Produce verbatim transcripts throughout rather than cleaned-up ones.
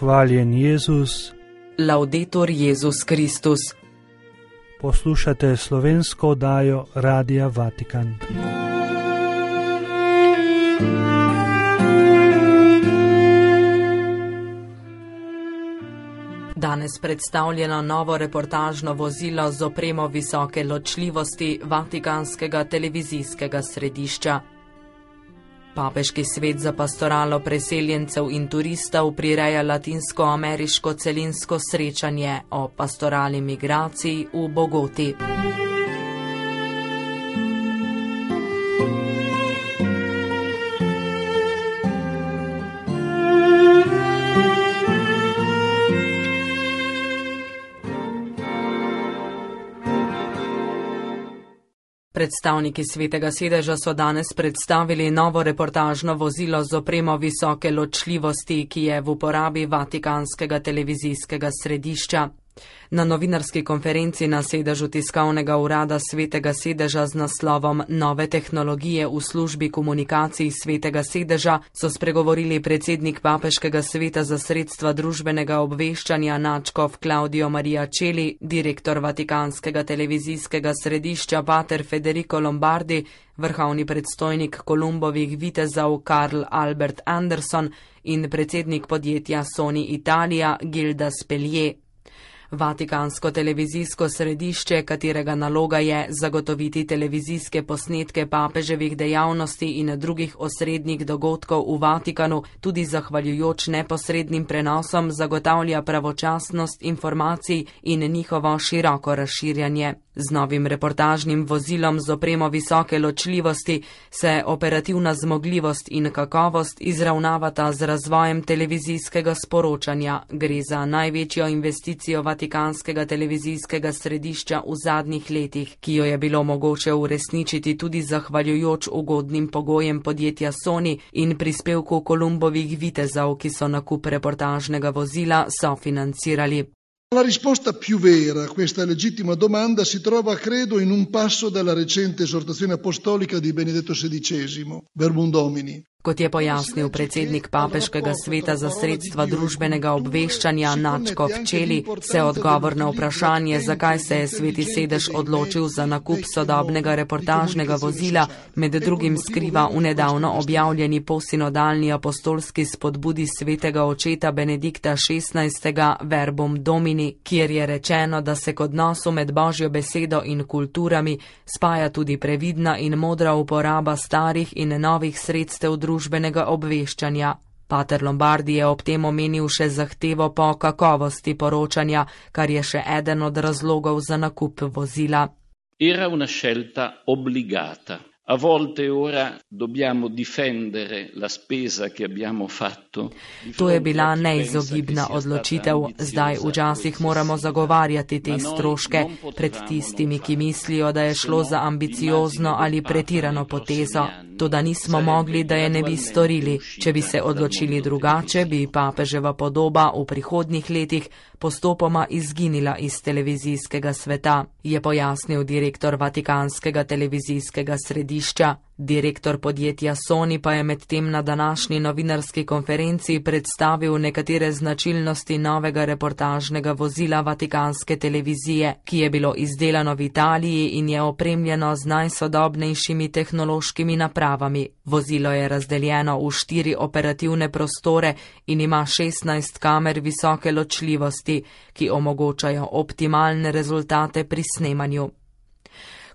Hvaljen Jezus. Laudetur Jezus Kristus. Poslušate slovensko oddajo Radia Vatikan. Danes predstavljeno novo reportažno vozilo z opremo visoke ločljivosti Vatikanskega televizijskega središča. Papeški svet za pastoralo preseljencev in turistov prireja latinsko-ameriško celinsko srečanje o pastorali migraciji v Bogoti. Predstavniki Svetega sedeža so danes predstavili novo reportažno vozilo z opremo visoke ločljivosti, ki je v uporabi Vatikanskega televizijskega središča. Na novinarski konferenci na sedežu tiskovnega urada Svetega sedeža z naslovom Nove tehnologije v službi komunikacij Svetega sedeža so spregovorili predsednik Papeškega sveta za sredstva družbenega obveščanja nadškof Claudio Maria Celli, direktor Vatikanskega televizijskega središča pater Federico Lombardi, vrhovni predstojnik Kolumbovih vitezov Karl Albert Anderson in predsednik podjetja Sony Italia Gilda Spelje. Vatikansko televizijsko središče, katerega naloga je zagotoviti televizijske posnetke papeževih dejavnosti in drugih osrednjih dogodkov v Vatikanu, tudi zahvaljujoč neposrednim prenosom zagotavlja pravočasnost informacij in njihovo široko razširjanje. Z novim reportažnim vozilom z opremo visoke ločljivosti se operativna zmogljivost in kakovost izravnavata z razvojem televizijskega sporočanja. Gre za največjo investicijo Vatikanskega televizijskega središča v zadnjih letih, ki jo je bilo mogoče uresničiti tudi zahvaljujoč ugodnim pogojem podjetja Sony in prispevku Kolumbovih vitezov, ki so nakup reportažnega vozila sofinancirali. La risposta più vera a questa legittima domanda si trova, credo, in un passo della recente esortazione apostolica di Benedetto sedicesimo, Verbum Domini. Kot je pojasnil predsednik Papeškega sveta za sredstva družbenega obveščanja nadškof Celli, se odgovor na vprašanje, zakaj se je Sveti sedež odločil za nakup sodobnega reportažnega vozila, med drugim skriva v nedavno objavljeni posinodalni apostolski spodbudi svetega očeta Benedikta šestnajstega Verbum Domini, kjer je rečeno, da se k odnosu med Božjo besedo in kulturami spaja tudi previdna in modra uporaba starih in novih sredstev družbenega obveščanja. Pater Lombardi je ob tem omenil še zahtevo po kakovosti poročanja, kar je še eden od razlogov za nakup vozila. Era una scelta obbligata. A volte ora dobbiamo difendere la spesa che abbiamo fatto. To je bila neizogibna odločitev. Zdaj včasih moramo zagovarjati te stroške pred tistimi, ki mislijo, da je šlo za ambiciozno ali pretirano potezo. Toda nismo mogli, da je ne bi storili. Če bi se odločili drugače, bi papeževa podoba v prihodnjih letih postopoma izginila iz televizijskega sveta, je pojasnil direktor Vatikanskega televizijskega središča. Direktor podjetja Sony pa je medtem na današnji novinarski konferenci predstavil nekatere značilnosti novega reportažnega vozila Vatikanske televizije, ki je bilo izdelano v Italiji in je opremljeno z najsodobnejšimi tehnološkimi napravami. Vozilo je razdeljeno v štiri operativne prostore in ima šestnajst kamer visoke ločljivosti, ki omogočajo optimalne rezultate pri snemanju.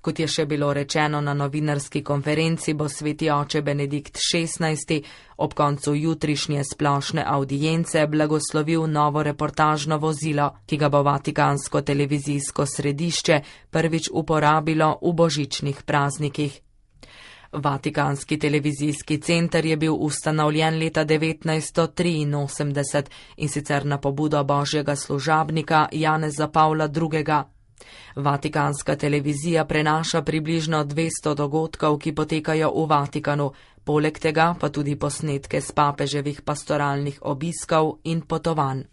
Kot je še bilo rečeno na novinarski konferenci, bo sveti oče Benedikt šestnajsti ob koncu jutrišnje splošne avdience blagoslovil novo reportažno vozilo, ki ga bo Vatikansko televizijsko središče prvič uporabilo v božičnih praznikih. Vatikanski televizijski center je bil ustanovljen leta devetnajststo triinosemdeset in sicer na pobudo božjega služabnika Janeza Pavla drugega. Vatikanska televizija prenaša približno dvesto dogodkov, ki potekajo v Vatikanu, poleg tega pa tudi posnetke s papeževih pastoralnih obiskov in potovanj.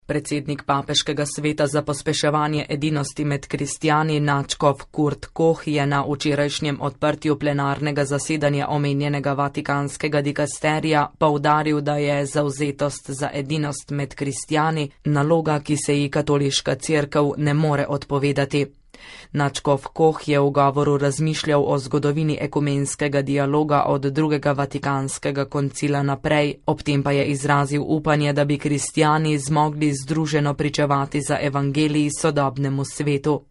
Predsednik Papeškega sveta za pospeševanje edinosti med kristjani nadškof Kurt Koch je na včerajšnjem odprtju plenarnega zasedanja omenjenega vatikanskega dikasterija poudaril, da je zavzetost za edinost med kristjani naloga, ki se ji katoliška cerkev ne more odpovedati. Nadškof Koch je v govoru razmišljal o zgodovini ekumenskega dialoga od drugega vatikanskega koncila naprej, ob tem pa je izrazil upanje, da bi kristjani zmogli združeno pričevati za evangelij sodobnemu svetu.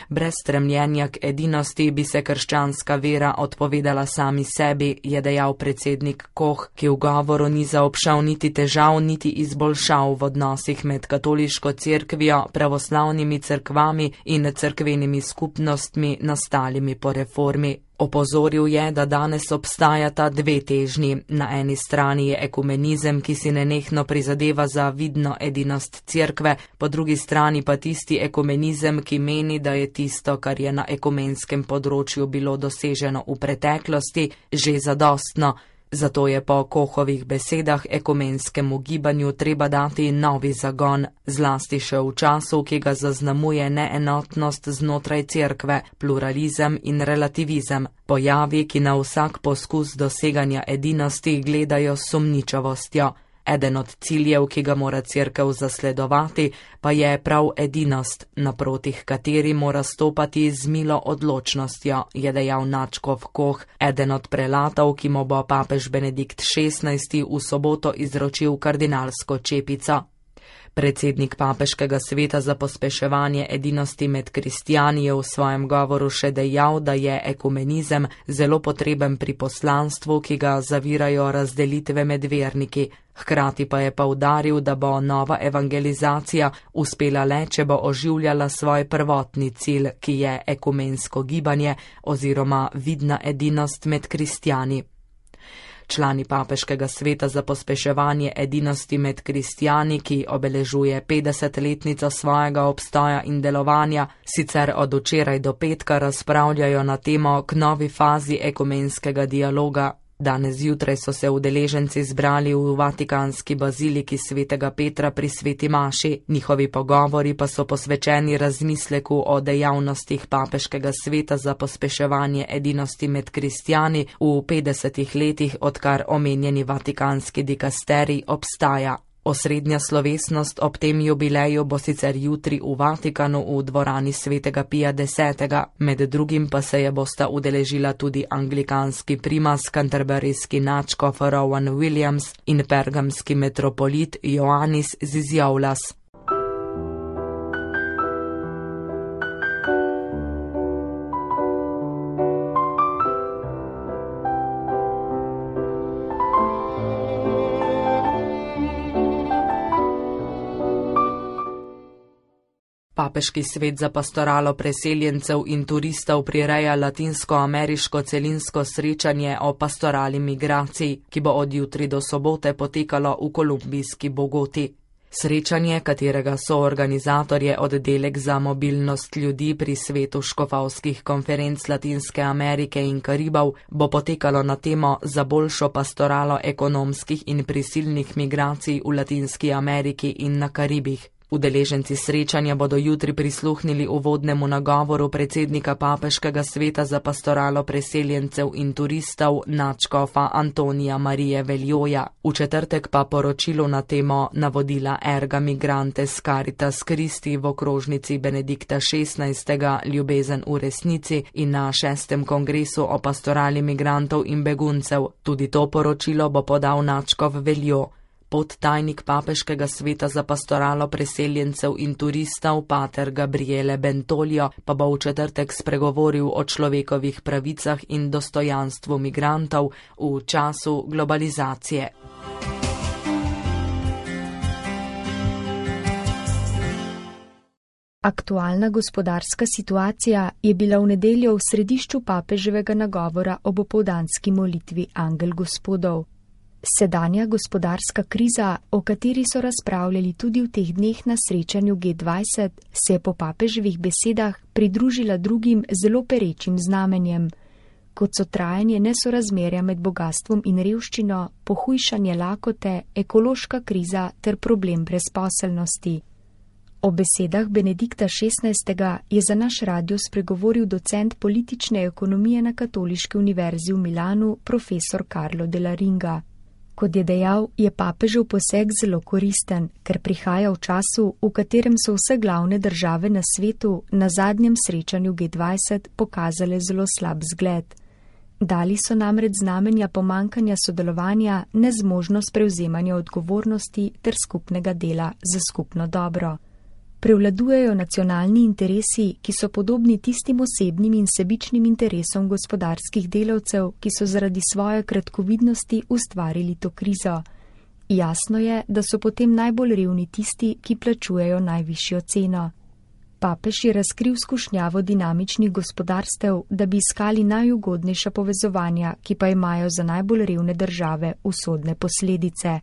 Brez stremljenja k edinosti bi se krščanska vera odpovedala sami sebi, je dejal predsednik Koch, ki v govoru ni zaobšel niti težav, niti izboljšav v odnosih med katoliško cerkvijo, pravoslavnimi cerkvami in cerkvenimi skupnostmi nastalimi po reformi. Opozoril je, da danes obstajata dve težnji. Na eni strani je ekumenizem, ki si nenehno prizadeva za vidno edinost cerkve, po drugi strani pa tisti ekumenizem, ki meni, da je tisto, kar je na ekumenskem področju bilo doseženo v preteklosti, že zadostno. Zato je po Kochovih besedah ekumenskemu gibanju treba dati novi zagon, zlasti še v času, ki ga zaznamuje neenotnost znotraj cerkve, pluralizem in relativizem, pojavi, ki na vsak poskus doseganja edinosti gledajo s sumničavostjo. Eden od ciljev, ki ga mora cerkev zasledovati, pa je prav edinost, naproti kateri mora stopati z milo odločnostjo, je dejal nadškof Koch, eden od prelatov, ki mu bo papež Benedikt šestnajsti v soboto izročil kardinalsko čepico. Predsednik Papeškega sveta za pospeševanje edinosti med kristjani je v svojem govoru še dejal, da je ekumenizem zelo potreben pri poslanstvu, ki ga zavirajo razdelitve med verniki. Hkrati pa je poudaril, da bo nova evangelizacija uspela le, če bo oživljala svoj prvotni cilj, ki je ekumensko gibanje oziroma vidna edinost med kristjani. Člani Papeškega sveta za pospeševanje edinosti med kristjani, ki obeležuje petdesetletnico svojega obstoja in delovanja, sicer od včeraj do petka razpravljajo na temo k novi fazi ekumenskega dialoga. Danes zjutraj so se udeleženci zbrali v vatikanski baziliki svetega Petra pri sveti maši, njihovi pogovori pa so posvečeni razmisleku o dejavnostih Papeškega sveta za pospeševanje edinosti med kristjani v petdesetih letih, odkar omenjeni vatikanski dikasterij obstaja. Osrednja slovesnost ob tem jubileju bo sicer jutri v Vatikanu v dvorani svetega Pija desetega, med drugim pa se je bosta udeležila tudi anglikanski primas, canterburyski nadškof Rowan Williams in pergamski metropolit Ioannis Zizioulas. Papeški svet za pastoralo preseljencev in turistov prireja latinsko-ameriško celinsko srečanje o pastorali migracij, ki bo od jutri do sobote potekalo v kolumbijski Bogoti. Srečanje, katerega soorganizator je oddelek za mobilnost ljudi pri svetu škofovskih konferenc Latinske Amerike in Karibov, bo potekalo na temo za boljšo pastoralo ekonomskih in prisilnih migracij v Latinski Ameriki in na Karibih. Udeleženci srečanja bodo jutri prisluhnili uvodnemu nagovoru predsednika Papeškega sveta za pastoralo preseljencev in turistov nadškofa Antonija Marije Veljoja, v četrtek pa poročilo na temo navodila Erga Migrantes Caritas Christi v okrožnici Benedikta šestnajstega Ljubezen v resnici in na šestem kongresu o pastorali migrantov in beguncev. Tudi to poročilo bo podal nadškof Veljo. Podtajnik Papeškega sveta za pastoralo preseljencev in turistov pater Gabriele Bentolio pa bo v četrtek spregovoril o človekovih pravicah in dostojanstvu migrantov v času globalizacije. Aktualna gospodarska situacija je bila v nedeljo v središču papeževega nagovora ob opoldanski molitvi Angel Gospodov. Sedanja gospodarska kriza, o kateri so razpravljali tudi v teh dneh na srečanju G dvajset, se je po papeževih besedah pridružila drugim zelo perečim znamenjem. kot so trajanje nesorazmerja med bogatstvom in revščino, pohujšanje lakote, ekološka kriza ter problem brezposelnosti. O besedah Benedikta šestnajstega je za naš radio spregovoril docent politične ekonomije na Katoliški univerzi v Milanu, profesor Carlo Della Ringa. Kot je dejal, je papežev poseg zelo koristen, ker prihaja v času, v katerem so vse glavne države na svetu na zadnjem srečanju G dvajset pokazale zelo slab zgled. Dali so namreč znamenja pomankanja sodelovanja, nezmožnost prevzemanja odgovornosti ter skupnega dela za skupno dobro. Prevladujejo nacionalni interesi, ki so podobni tistim osebnim in sebičnim interesom gospodarskih delavcev, ki so zaradi svoje kratkovidnosti ustvarili to krizo. Jasno je, da so potem najbolj revni tisti, ki plačujejo najvišjo ceno. Papež je razkril skušnjavo dinamičnih gospodarstev, da bi iskali najugodnejša povezovanja, ki pa imajo za najbolj revne države usodne posledice.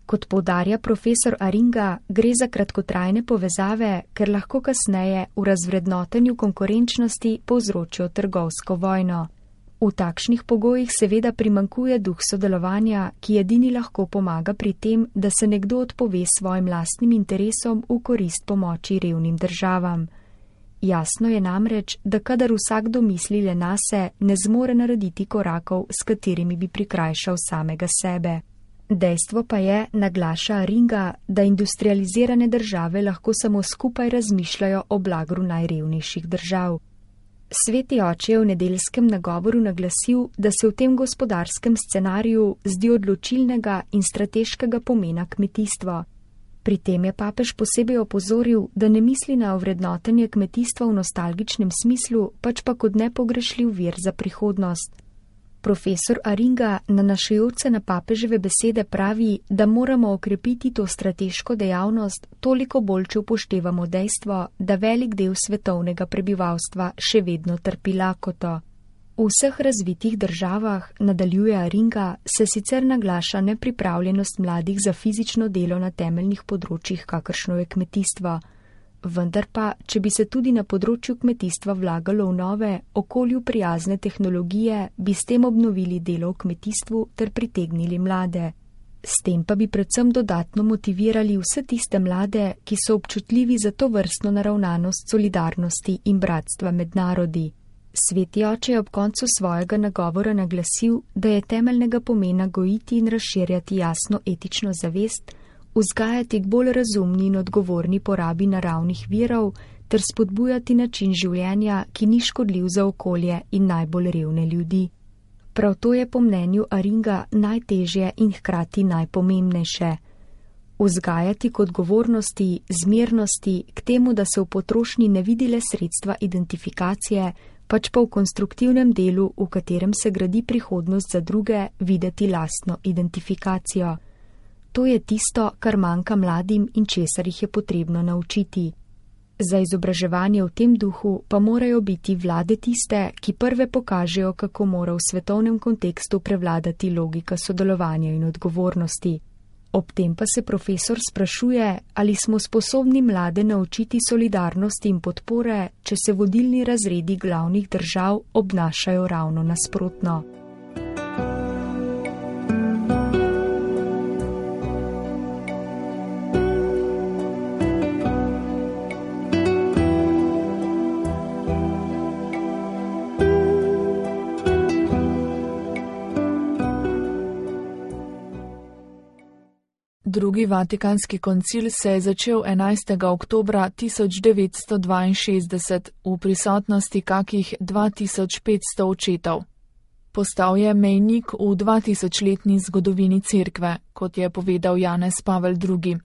Kot poudarja profesor Aringa, gre za kratkotrajne povezave, ker lahko kasneje v razvrednotenju konkurenčnosti povzročijo trgovsko vojno. V takšnih pogojih seveda primanjkuje duh sodelovanja, ki edini lahko pomaga pri tem, da se nekdo odpove svojim lastnim interesom v korist pomoči revnim državam. Jasno je namreč, da kadar vsakdo misli le nase, ne zmore narediti korakov, s katerimi bi prikrajšal samega sebe. Dejstvo pa je, naglaša Aringa, da industrializirane države lahko samo skupaj razmišljajo o blagru najrevnejših držav. Sveti oče je v nedeljskem nagovoru naglasil, da se v tem gospodarskem scenariju zdi odločilnega in strateškega pomena kmetijstvo. Pri tem je papež posebej opozoril, da ne misli na ovrednotenje kmetijstva v nostalgičnem smislu, pač pa kot nepogrešljiv vir za prihodnost. Profesor Aringa, nanašajoč se na papeževe besede, pravi, da moramo okrepiti to strateško dejavnost toliko bolj, če upoštevamo dejstvo, da velik del svetovnega prebivalstva še vedno trpi lakoto. V vseh razvitih državah, nadaljuje Aringa, se sicer naglaša nepripravljenost mladih za fizično delo na temeljnih področjih, kakršno je kmetijstvo. Vendar pa, če bi se tudi na področju kmetijstva vlagalo v nove, okolju prijazne tehnologije, bi s tem obnovili delo v kmetijstvu ter pritegnili mlade. S tem pa bi predvsem dodatno motivirali vse tiste mlade, ki so občutljivi za to vrstno naravnanost solidarnosti in bratstva med narodi. Sveti oče je ob koncu svojega nagovora naglasil, da je temeljnega pomena gojiti in razširjati jasno etično zavest, vzgajati k bolj razumni in odgovorni porabi naravnih virov ter spodbujati način življenja, ki ni škodljiv za okolje in najbolj revne ljudi. Prav to je po mnenju Aringa najtežje in hkrati najpomembnejše. Vzgajati k odgovornosti, zmernosti, k temu, da se v potrošnji ne vidi le sredstva identifikacije, pač pa v konstruktivnem delu, v katerem se gradi prihodnost za druge, videti lastno identifikacijo. To je tisto, kar manjka mladim in česar jih je potrebno naučiti. Za izobraževanje v tem duhu pa morajo biti vlade tiste, ki prve pokažejo, kako mora v svetovnem kontekstu prevladati logika sodelovanja in odgovornosti. Ob tem pa se profesor sprašuje, ali smo sposobni mlade naučiti solidarnosti in podpore, če se vodilni razredi glavnih držav obnašajo ravno nasprotno. Drugi Vatikanski koncil se je začel enajstega oktobra tisoč devetsto dvainšestdeset v prisotnosti kakih dva tisoč petsto očetov. Postal je mejnik v dvatisočletni zgodovini cerkve, kot je povedal Janez Pavel drugi.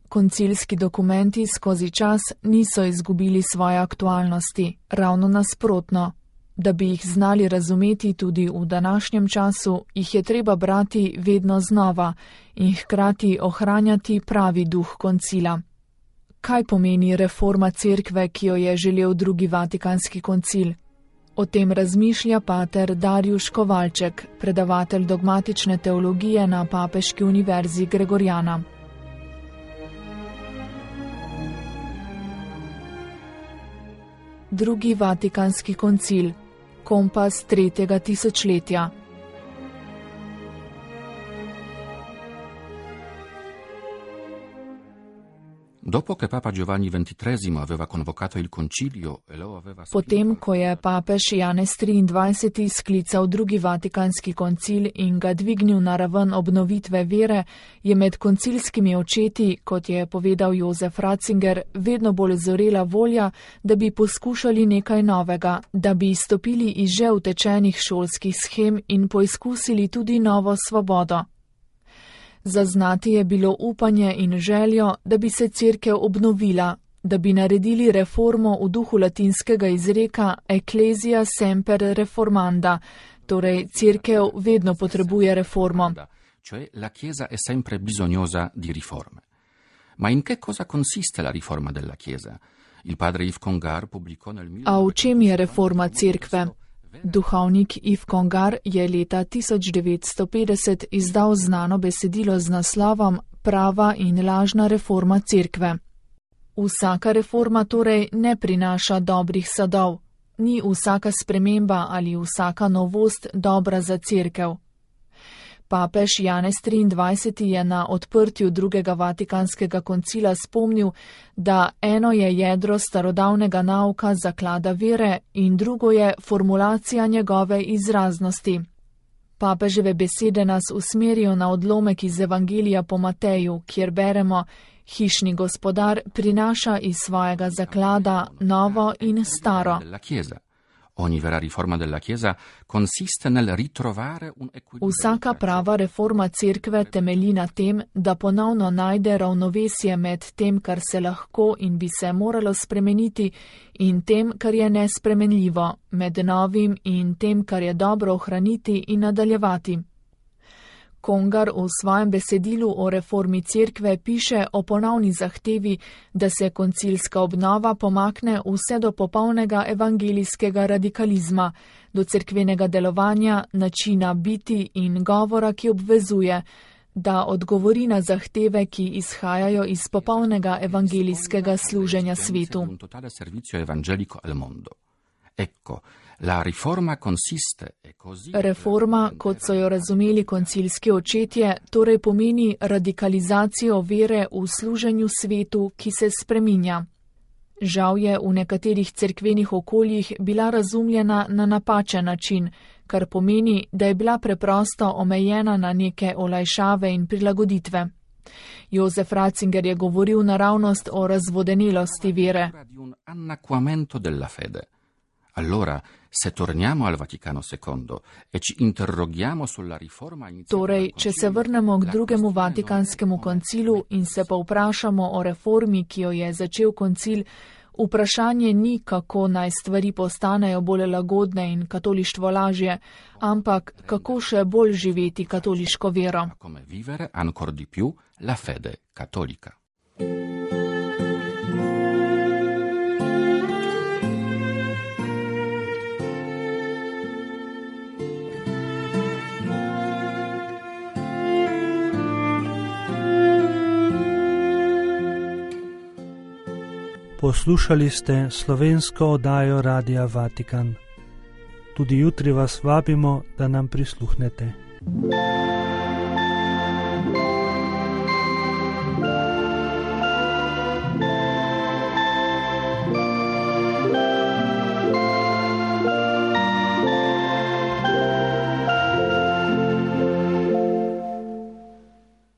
Koncilski dokumenti skozi čas niso izgubili svoje aktualnosti, ravno nasprotno. Da bi jih znali razumeti tudi v današnjem času, jih je treba brati vedno znova in hkrati ohranjati pravi duh koncila. Kaj pomeni reforma cerkve, ki jo je želel drugi Vatikanski koncil? O tem razmišlja pater Darjuš Kovalček, predavatelj dogmatične teologije na Papeški univerzi Gregorjana. Drugi Vatikanski koncil. Kompas tretjega tisočletja. Potem, ko je papež Janez triindvajseti sklical drugi vatikanski koncil in ga dvignil na raven obnovitve vere, je med koncilskimi očeti, kot je povedal Jozef Ratzinger, vedno bolj zorela volja, da bi poskušali nekaj novega, da bi izstopili iz že utečenih šolskih shem in poizkusili tudi novo svobodo. Zaznati je bilo upanje in željo, da bi se cerkev obnovila, da bi naredili reformo v duhu latinskega izreka Ecclesia semper reformanda, torej cerkev vedno potrebuje reformo. Cioè la Chiesa è sempre bisognosa di riforme. Ma in che cosa consiste la riforma della Chiesa? Il padre Yves Congar pubblicò nel A v čem je reforma cerkve? Duhovnik Yves Congar je leta tisoč devetsto petdeset izdal znano besedilo z naslovom Prava in lažna reforma cerkve. Vsaka reforma torej ne prinaša dobrih sadov, ni vsaka sprememba ali vsaka novost dobra za cerkev. Papež Janez triindvajseti je na odprtju drugega vatikanskega koncila spomnil, da eno je jedro starodavnega nauka zaklada vere in drugo je formulacija njegove izraznosti. Papeževe besede nas usmerijo na odlomek iz Evangelija po Mateju, kjer beremo: hišni gospodar prinaša iz svojega zaklada novo in staro. Vsaka prava reforma cerkve temelji na tem, da ponovno najde ravnovesje med tem, kar se lahko in bi se moralo spremeniti, in tem, kar je nespremenljivo, med novim in tem, kar je dobro ohraniti in nadaljevati. Congar v svojem besedilu o reformi cerkve piše o ponovni zahtevi, da se koncilska obnova pomakne vse do popolnega evangelijskega radikalizma, do cerkvenega delovanja, načina biti in govora, ki obvezuje, da odgovori na zahteve, ki izhajajo iz popolnega evangelijskega služenja svetu. Reforma, kot so jo razumeli koncilski očetje, torej pomeni radikalizacijo vere v služenju svetu, ki se spreminja. Žal je v nekaterih cerkvenih okoljih bila razumljena na napačen način, kar pomeni, da je bila preprosto omejena na neke olajšave in prilagoditve. Jozef Ratzinger je govoril naravnost o razvodenelosti vere. Allora, se torniamo al Vaticano secondo e ci interroghiamo sulla riforma iniziata. Torej, če se vrnemo k drugemu vatikanskemu koncilu in se pa vprašamo o reformi, ki jo je začel koncil, vprašanje ni, kako naj stvari postanejo bolj lagodne in katolištvo lažje, ampak kako še bolj živeti katoliško vero. Come vivere ancor di più la fede cattolica. Poslušali ste slovensko oddajo Radia Vatikan. Tudi jutri vas vabimo, da nam prisluhnete.